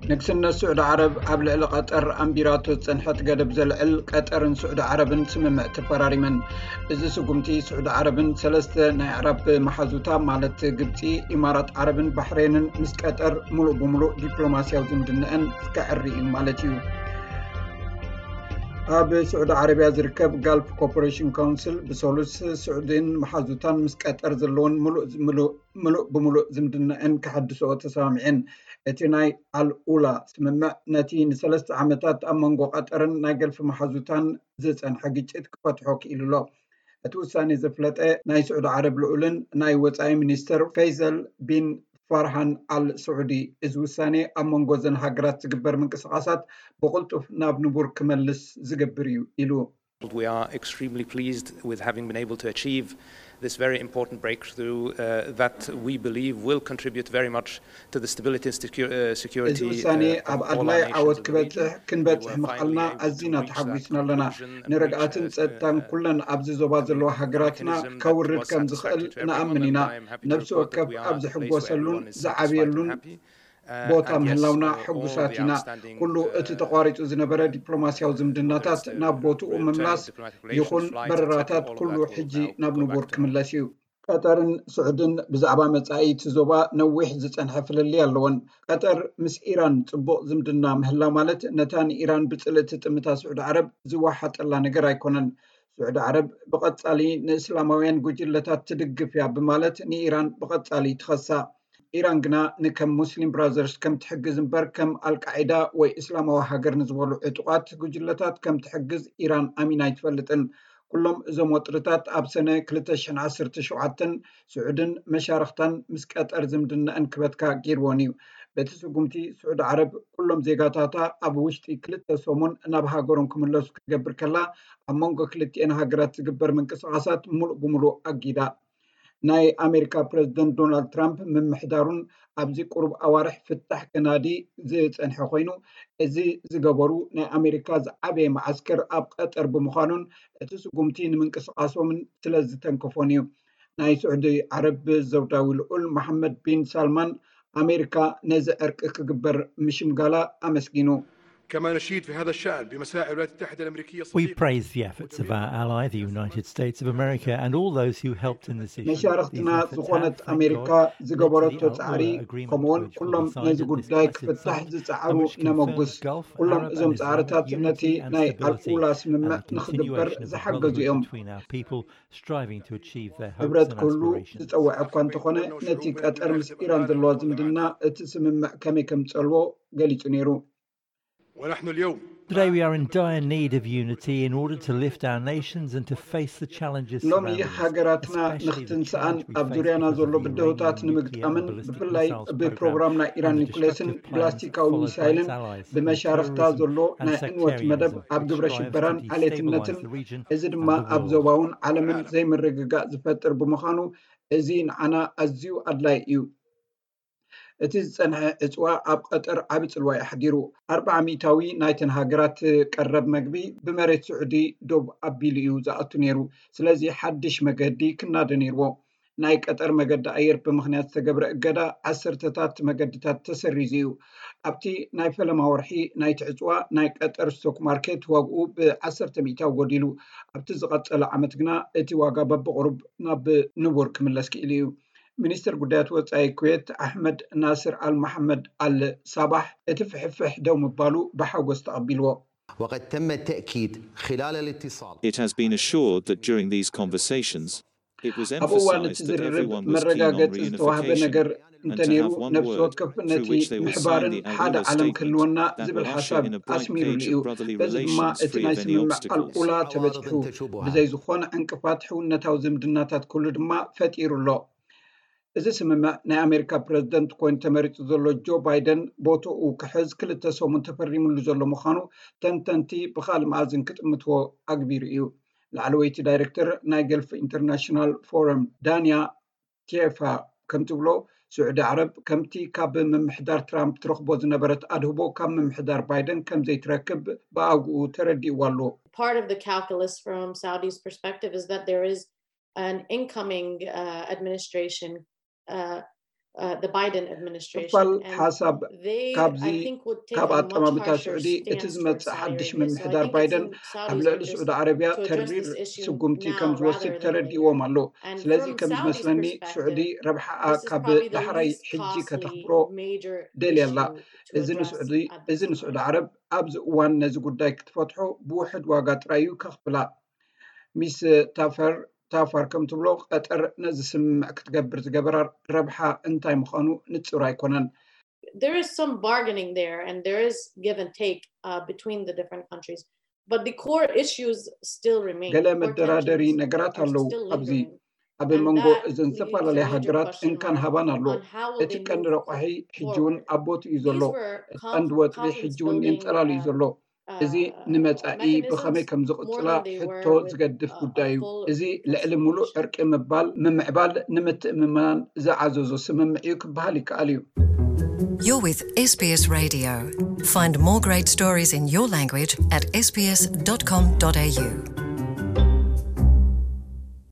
ንግስነት ስዑዲ ዓረብ ኣብ ልዕሊ ቀጠር ኣንቢራቶ ዝጸንሐት ገደብ ዘልዕል፣ ቀጠርን ስዑዲ ዓረብን ስምምዕ ተፈራሪመን። እዚ ስጉምቲ፣ ስዑዲ ዓረብን ሰለስተ ናይ ኣዕራብ መሓዙታ፣ ማለት ግብጺ፣ ኢማራት ዓረብን ባሕሬንን፣ ምስ ቀጠር ምሉእ ብምሉእ ዲፕሎማስያዊ ዝምድነአን ክዕሪ እዩ ማለት እዩ። ኣብ ስዑዲ ዓረብያ ዝርከብ ጋልፍ ኮርፖሬሽን ካውንስል ብሰሉስ፣ ስዑዲን መሓዙታን ምስ ቀጠር ዘለውን ምሉእ ብምሉእ ዝምድነአን ክሕድስኦ ተሰማሚዐን። እቲ ናይ ኣልኡላ ስምምዕ፣ ነቲ ንሰለስተ ዓመታት ኣብ መንጎ ቀጠርን ናይ ገልፊ መሓዙታን ዝጸንሐ ግጭት ክፈትሖ ክኢሉ ኣሎ። እቲ ውሳኔ ዘፍለጠ ናይ ስዑዲ ዓረብ ልዑልን ናይ ወጻኢ ሚኒስተር ፈይሰል ቢን ፋርሃን ኣል ስዑዲ፣ እዚ ውሳኔ ኣብ መንጎ እዘን ሃገራት ዝግበር ምንቅስቓሳት ብቕልጡፍ ናብ ንቡር ክመልስ ዝገብር እዩ ኢሉ። We are extremely pleased with having been able to achieve this very important breakthrough uh, that we believe will contribute very much to the stability and security. እዚ ውሳኔ ኣብ ኣድላይ ዓወት ክበጽሕ ክንበጽሕ ምኽኣልና ኣዚና ተሓጒስና ኣለና። ንርግኣትን ጸጥታን ኩለን ኣብዚ ዞባ ዘለዋ ሃገራትና ከውርድ ከም ዝኽእል ንኣምን ኢና። ነፍሲ ወከፍ ኣብ ዝሕጎሰሉን ዝዓብየሉን ቦታ ምህላውና ሕጉሳት ኢና። ኩሉ እቲ ተቋሪጹ ዝነበረ ዲፕሎማስያዊ ዝምድናታት ናብ ቦትኡ ምምላስ ይኹን በረራታት ኩሉ ሕጂ ናብ ንቡር ክምለስ እዩ። ቀጠርን ስዑድን ብዛዕባ መጻኢ እቲ ዞባ ነዊሕ ዝጸንሐ ፍልልይ ኣለወን። ቀጠር ምስ ኢራን ጽቡቕ ዝምድና ምህላው ማለት ነታ ንኢራን ብጽልኢ ትጥምታ ስዑዲ ዓረብ ዝወሓጠላ ነገር ኣይኮነን። ስዑዲ ዓረብ ብቐጻሊ ንእስላማውያን ጉጅለታት ትድግፍ እያ ብማለት ንኢራን ብቐጻሊ ትኸሳ። ኢራን ግና ንከም ሙስሊም ብራዘርስ ከም ትሕግዝ እምበር ከም ኣልቃዒዳ ወይ እስላማዊ ሃገር ንዝበሉ ዕጡቓት ጉጅለታት ከም ትሕግዝ ኢራን ኣሚና ኣይትፈልጥን። ኩሎም እዞም ወጥርታት ኣብ ሰነ ክልተ ሽሕን ዓሰርተ ሸውዓተን ስዑድን መሻርኽታን ምስ ቀጠር ዝምድነአን ክበትካ ገይርዎን እዩ። በቲ ስጉምቲ ስዑዲ ዓረብ ኩሎም ዜጋታታ ኣብ ውሽጢ ክልተ ሰሙን ናብ ሃገሮም ክምለሱ ክትገብር ከላ ኣብ መንጎ ክልቲኤን ሃገራት ዝግበር ምንቅስቓሳት ሙሉእ ብሙሉእ ኣጊዳ። ናይ ኣሜሪካ ፕረዚደንት ዶናልድ ትራምፕ ምምሕዳሩን ኣብዚ ቁሩብ ኣዋርሕ ፍታሕ ከናዲ ዝጸንሐ ኮይኑ፣ እዚ ዝገበሩ ናይ ኣሜሪካ ዝዓበየ መዓስከር ኣብ ቀጠር ብምዃኑን እቲ ስጉምቲ ንምንቅስቓሶምን ስለ ዝተንከፎን እዩ። ናይ ስዑዲ ዓረብ ዘውዳዊ ልዑል መሓመድ ቢን ሳልማን ኣሜሪካ ነዚ ዕርቂ ክግበር ምሽምጋላ ኣመስጊኑ። كما نشيد في هذا الشأن بمساعي الولايات المتحدة الأمريكية We praise the efforts of our ally, the United States of America, and all those who helped in this issue. መሻርኽትና ዝኾነት ኣሜሪካ ዝገበረቶ ጻዕሪ፣ ከምኡውን ኩሎም ነዚ ጉዳይ ክፍታሕ ዝጸዓሩ ነመጉስ። ኩሎም እዞም ጻዕርታት ነቲ ናይ ኣልኡላ ስምምዕ ንኽግበር ዝሓገዙ እዮም። ህብረት ክህሉ ዝጸውዐ እኳ እንተኾነ፣ ነቲ ቀጠር ምስ ኢራን ዘለዋ ዝምድና እቲ ስምምዕ ከመይ ከም ዝጸልዎ ገሊጹ ነይሩ። ونحن اليوم Today we are in dire need of unity in order to lift our nations and to face the challenges ሎሚ surrounding us, ሃገራትና especially the ንኽትንስኣን challenge we ኣብ face ዙርያና because of ዘሎ the ብድሆታት Iranian nuclear and ንምግጣምን ballistic ብፍላይ missiles ብፕሮግራም program ናይ ኢራን and the ኒኩሌስን destructive plans ብላስቲካዊ followed by its ሚሳይልን allies through ብመሻርኽታ terrorism ዘሎ and ናይ ዕንወት መደብ sectarianism, ኣብ which ግብረ strive ሽበራን to destabilize ዓሌትነትን the region እዚ ድማ and the ኣብ world. ዞባውን ዓለምን ዘይምርግጋእ ዝፈጥር ብምዃኑ እዚ ንዓና ኣዝዩ ኣድላይ እዩ። እቲ ዝጸንሐ ዕጽዋ ኣብ ቀጠር ዓቢ ጽልዋ እዩ ኣሕዲሩ። ኣርብዓ ሚእታዊ ናይተን ሃገራት ቀረብ መግቢ ብመሬት ስዑዲ ዶብ ኣቢሉ እዩ ዝኣቱ ነይሩ። ስለዚ ሓድሽ መገዲ ክናደ ነይርዎ። ናይ ቀጠር መገዲ ኣየር ብምኽንያት ዝተገብረ እገዳ ዓሰርተታት መገድታት ተሰሪዙ እዩ። ኣብቲ ናይ ፈለማ ወርሒ ናይቲ ዕጽዋ ናይ ቀጠር ስቶክ ማርኬት ዋግኡ ብዓሰርተ ሚእታዊ ጎዲሉ። ኣብቲ ዝቐጸለ ዓመት ግና እቲ ዋጋ በብቕሩብ ናብ ንቡር ክምለስ ክኢሉ እዩ። ሚኒስትር ጉዳያት ወጻኢ ኩዌት ኣሕመድ ናስር ኣል መሓመድ ኣል ሳባሕ እቲ ፍሕፍሕ ደው ምባሉ ብሓጎስ ተቐቢልዎ። وقد تم التأكيد خلال الاتصال It has been assured that during these conversations, it was ኣብ እዋን እቲ emphasized that ዝርርብ everyone was keen on መረጋገጺ ዝተዋህበ reunification ነገር and to እንተነይሩ have one ነፍሲ work ወከፍ through ነቲ which they would sign ምሕባርን the ሓደ Al-Ula ዓለም statement ክህልወና that ዝብል will usher ሓሳብ in a bright ኣስሚሩሉ age እዩ። of brotherly በዚ ድማ relations እቲ free ናይ of any ስምምዕ obstacles. ኣልኡላ ተበጺሑ። ብዘይ ዝኾነ ዕንቅፋት ሕውነታዊ ዝምድናታት ክህሉ ድማ ፈጢሩ ኣሎ። እዚ ስምምዕ ናይ ኣሜሪካ ፕረዚደንት ኮይኑ ተመሪጹ ዘሎ ጆ ባይደን ቦትኡ ክሕዝ ክልተ ሰሙን ተፈሪሙሉ ዘሎ ምዃኑ ተንተንቲ ብኻልእ መኣዝን ክጥምትዎ ኣግቢሩ እዩ። ላዕለወይቲ ዳይሬክተር ናይ ገልፍ ኢንተርናሽናል ፎረም ዳንያ ቴፋ ከም ትብሎ፣ ስዑዲ ዓረብ ከምቲ ካብ ምምሕዳር ትራምፕ ትረኽቦ ዝነበረት ኣድህቦ ካብ ምምሕዳር ባይደን ከም ዘይትረክብ ብኣግኡ ተረዲእዋ ኣሎ። Part of the calculus from Saudi's perspective is that there is an incoming uh, administration uh, uh, the Biden administration. ክፋል And ሓሳብ they, ካብዚ I think, would take ካብ a much ኣጠማምታ harsher ስዑዲ እቲ stance, for ዝመጽእ ሓድሽ Saudi. So I ምምሕዳር think it's ባይደን in ኣብ Saudi's ልዕሊ interest ስዑዲ ዓረብያ to address ተሪር this issue ስጉምቲ ከም now ዝወስድ rather than ተረዲእዎም later. ኣሎ። And ስለዚ from ከም Saudi's ዝመስለኒ ስዑዲ perspective, ረብሓኣ this is ካብ probably the ዳሕራይ least ሕጂ costly ከተኽብሮ major ደልያ ኣላ። issue to እዚ address ንስዑዲ at እዚ this ንስዑዲ point. ዓረብ ኣብዚ እዋን ነዚ ጉዳይ ክትፈትሖ ብውሕድ ዋጋ ጥራይ እዩ ከኽፍላ። ሚስ ታፈር ታፋር ከም ትብሎ ቀጠር ነዚ ስምምዕ ክትገብር ዝገበራ ረብሓ እንታይ ምዃኑ ንጹር ኣይኮነን። There is some bargaining there, and there is give and take uh, between the different countries. But the core issues still remain. ገለ Core መደራደሪ tensions ነገራት are ኣለዉ። still ኣብዚ lingering. ኣብ And መንጎ that እዘን leads a ዝተፈላለያ major ሃገራት question እንካን mark ሃባን ኣሎ። On how እቲ they ቀንዲ move ረቋሒ ሕጂ እውን forward. ኣብ ቦትኡ እዩ ዘሎ። These were እቲ ቀንዲ conf- ወጥሪ ሕጂ እውን conflict-building, የንጸላልዩ ዘሎ። uh, እዚ ንመጻኢ ብኸመይ ከም ዝቕጽላ ሕቶ ዝገድፍ ጉዳይ እዩ። እዚ ልዕሊ ሙሉእ ዕርቂ ምባል ምምዕባል ንምትእምማን ዝዓዘዞ ስምምዕ እዩ ክበሃል ይከኣል እዩ። You're with S B S Radio. Find more great stories in your language at S B S dot com dot A U.